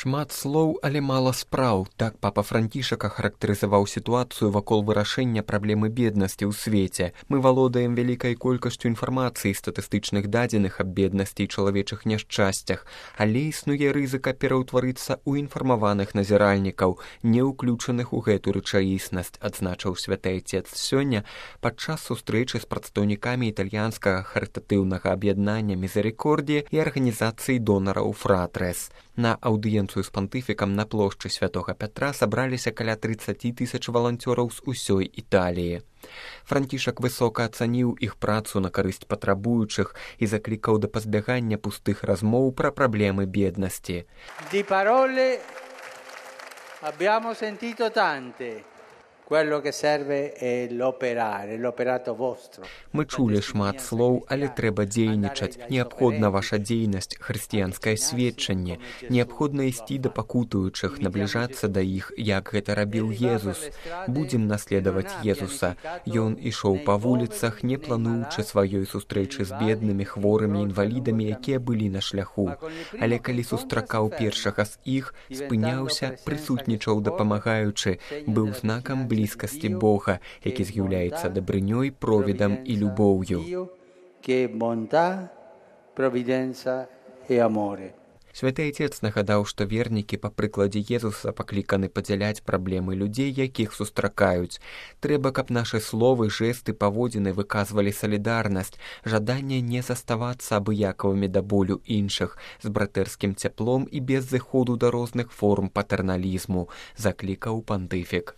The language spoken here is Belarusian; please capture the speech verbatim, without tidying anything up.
Шмат слоў, але мала спраў. Так папа Францішак ахарактарызаваў сітуацыю вакол вырашэння праблемы беднасці ў свеце. Мы валодаем вялікай колькасцю інфармацыі, статыстычных дадзеных аб беднасці і чалавечых няшчасцях, але існуе рызыка пераўтварыцца ў інфармаваных назіральнікаў, не ўключаных у гэту рэчаіснасць, адзначыў святы айцец сёння падчас сустрэчы з прадстаўнікамі італьянскага харытатыўнага аб'яднання «Мізерікордія» і арганізацыі донараў «Фратрес». На аўдыенцыю з пантыфікам на плошчы Святога Пятра сабраліся каля трыццаць тысяч валанцёраў з усёй Італіі. Францішак высока ацаніў іх працу на карысць патрабуючых і заклікаў да пазбягання пустых размоў пра праблемы беднасці. Di parole abbiamo sentito tante. Quello che serve è l'operare, l'operato vostro. Мы чулі шмат слоў, але трэба дзейнічаць. Неабходна ваша дзейнасць, хрысціянскае сведчанне. Неабходна ісці да пакутуючых, набліжацца да іх, як гэта рабіў Езус. Будзем наследаваць Езуса. Ён ішоў па вуліцах, не плануючы сваёй сустрэчы з беднымі, хворымі, інвалідамі, якія былі на шляху. Але калі сустракаў першага з іх, спыняўся, прысутнічаў дапамагаючы, быў знакам блізкасці блізкасці Бога, які з'яўляецца дабрынёй, провідам і любоўю. Святы айцец нагадаў, што вернікі па прыкладзе Езуса пакліканы падзяляць праблемы людзей, якіх сустракаюць. Трэба, каб нашы словы, жэсты, паводзіны выказвалі салідарнасць, жаданне не заставацца абыякавымі да болю іншых, з братэрскім цяплом і без зыходу да розных форм патэрналізму, заклікаў пантыфік.